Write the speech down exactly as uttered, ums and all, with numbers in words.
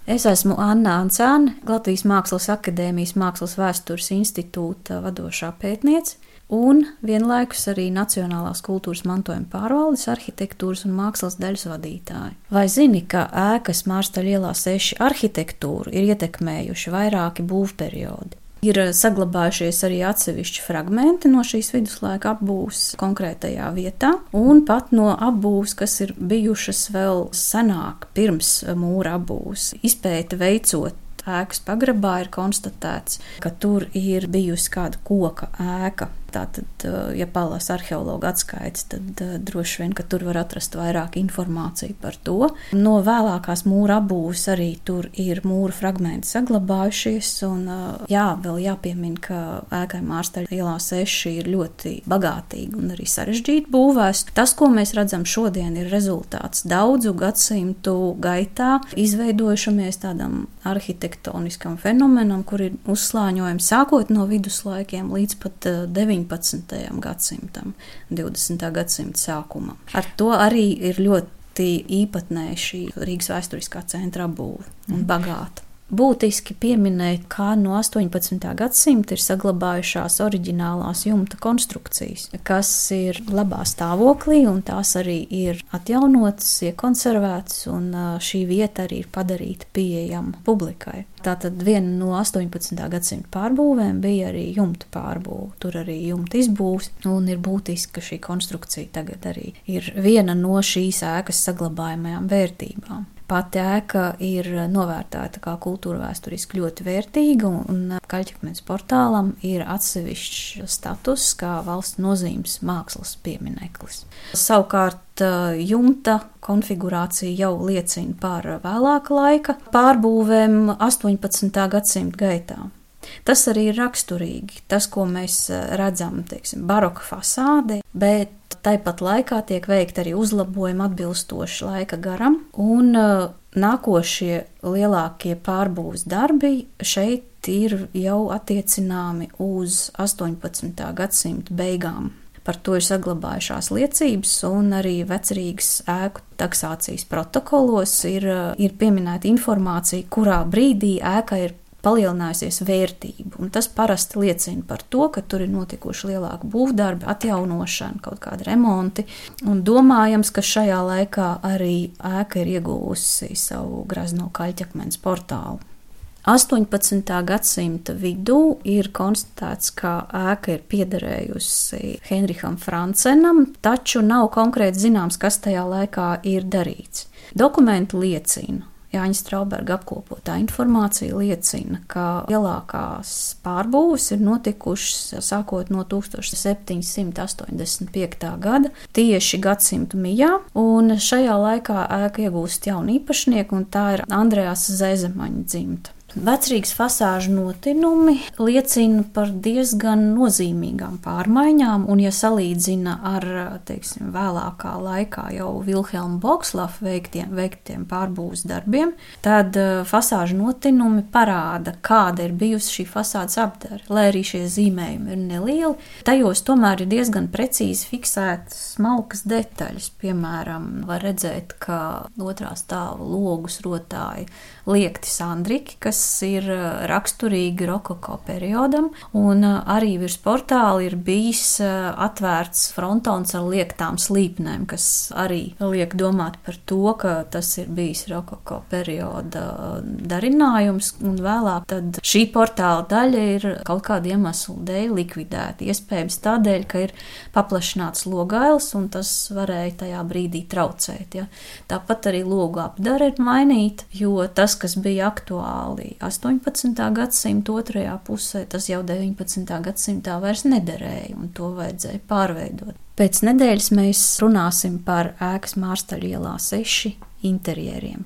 Es esmu Anna Ancāne, Latvijas Mākslas akadēmijas Mākslas vēstures institūta vadošā pētniece un vienlaikus arī Nacionālās kultūras mantojuma pārvaldes arhitektūras un mākslas daļas vadītāja. Vai zini, ka ēkas Mārstaļa ielā seši arhitektūru ir ietekmējuši vairāki būvperiodi? Ir saglabājušies arī atsevišķi fragmenti no šīs viduslaika apbūves konkrētajā vietā, un pat no apbūves, kas ir bijušas vēl senāk, pirms mūra apbūves. Izpēti veicot ēkas pagrabā ir konstatēts, ka tur ir bijusi kāda koka ēka. Tātad, ja palasa arheologa atskaites, tad droši vien, ka tur var atrast vairāk informāciju par to. No vēlākās mūra apbūves arī tur ir mūra fragmenti saglabājušies, un jā, vēl jāpiemina, ka ēkai Mārstaļa ielā seši ir ļoti bagātīgi un arī sarežģīti būvēs. Tas, ko mēs redzam šodien, ir rezultāts daudzu gadsimtu gaitā izveidojušamies tādam arhitektoniskam fenomenam, kur ir uzslāņojumi sākot no viduslaikiem līdz pat deviņpadsmitajam gadsimtam, divdesmitā gadsimta sākumam. Ar to arī ir ļoti īpatnēja šī Rīgas vēsturiskā centra apbūve un bagāta. Būtiski pieminēt, kā no astoņpadsmitā gadsimta ir saglabājušās oriģinālās jumta konstrukcijas, kas ir labā stāvoklī, un tās arī ir atjaunotas, iekonservētas, un šī vieta arī ir padarīta pieejama publikai. Tātad viena no astoņpadsmitā gadsimta pārbūvēm bija arī jumta pārbūve. Tur arī jumta izbūves, un ir būtiski, ka šī konstrukcija tagad arī ir viena no šīs ēkas saglabājamajām vērtībām. Pati ēka ir novērtēta kā kultūrvēsturiski ļoti vērtīga, un Kaļķakmenes portālam ir atsevišķs status kā valsts nozīmes mākslas piemineklis. Savukārt jumta konfigurācija jau liecina par vēlāka laika pārbūvēm astoņpadsmitā gadsimta gaitā. Tas arī ir raksturīgi, tas, ko mēs redzam, teiksim, baroka fasāde, bet tāpat laikā tiek veikti arī uzlabojumi atbilstoši laika garam, un nākošie lielākie pārbūves darbi šeit ir jau attiecināmi uz astoņpadsmitā gadsimta beigām. Par to ir saglabājušās liecības, un arī Vecrīgas ēku taksācijas protokolos ir, ir pieminēta informācija, kurā brīdī ēka ir palielinājusies vērtība, un tas parasti liecina par to, ka tur ir notikuši lielāki būvdarbi, atjaunošana, kaut kādi remonti, un domājams, ka šajā laikā arī ēka ir ieguvusi savu grazno Kaļķakmenes portālu. astoņpadsmitā gadsimta vidū ir konstatēts, ka ēka ir piederējusi Henriham Francenam, taču nav konkrēti zināms, kas tajā laikā ir darīts. Dokumenti liecina, Jāņa Strauberga apkopotā informācija liecina, ka lielākās pārbūves ir notikušas sākot no tūkstoš septiņsimt astoņdesmit piektā gada, tieši gadsimta mijā, un šajā laikā ēka iegūst jaunu īpašnieku, un tā ir Andrejas Zezemaņa dzimta. Vecrīgas fasāžu notinumi liecina par diezgan nozīmīgām pārmaiņām, un ja salīdzina ar, teiksim, vēlākā laikā jau Vilhelma Bokslafa veiktiem, veiktiem pārbūves darbiem, tad fasāžu notinumi parāda, kāda ir bijusi šī fasādes apdare. Lai arī šie zīmējumi ir nelieli, tajos tomēr ir diezgan precīzi fiksētas smalkas detaļas. Piemēram, var redzēt, ka otrā stāva logus rotāja liekti sandriki, kas ir raksturīgi rokoko periodam, un arī virs portāla ir bijis atvērts frontons ar liektām slīpnēm, kas arī liek domāt par to, ka tas ir bijis rokoko perioda darinājums, un vēlāk tad šī portāla daļa ir kaut kāda iemesla dēļ likvidēta. Iespējams tādēļ, ka ir paplašināts logails, un tas varēja tajā brīdī traucēt. Ja. Tāpat arī logu apdare ir mainīta, jo tas, kas bija aktuāli astoņpadsmitā gadsimta otrajā pusē, tas jau deviņpadsmitā gadsimtā vairs nederēja, un to vajadzēja pārveidot. Pēc nedēļas mēs runāsim par ēkas Mārstaļa ielā seši interjeriem.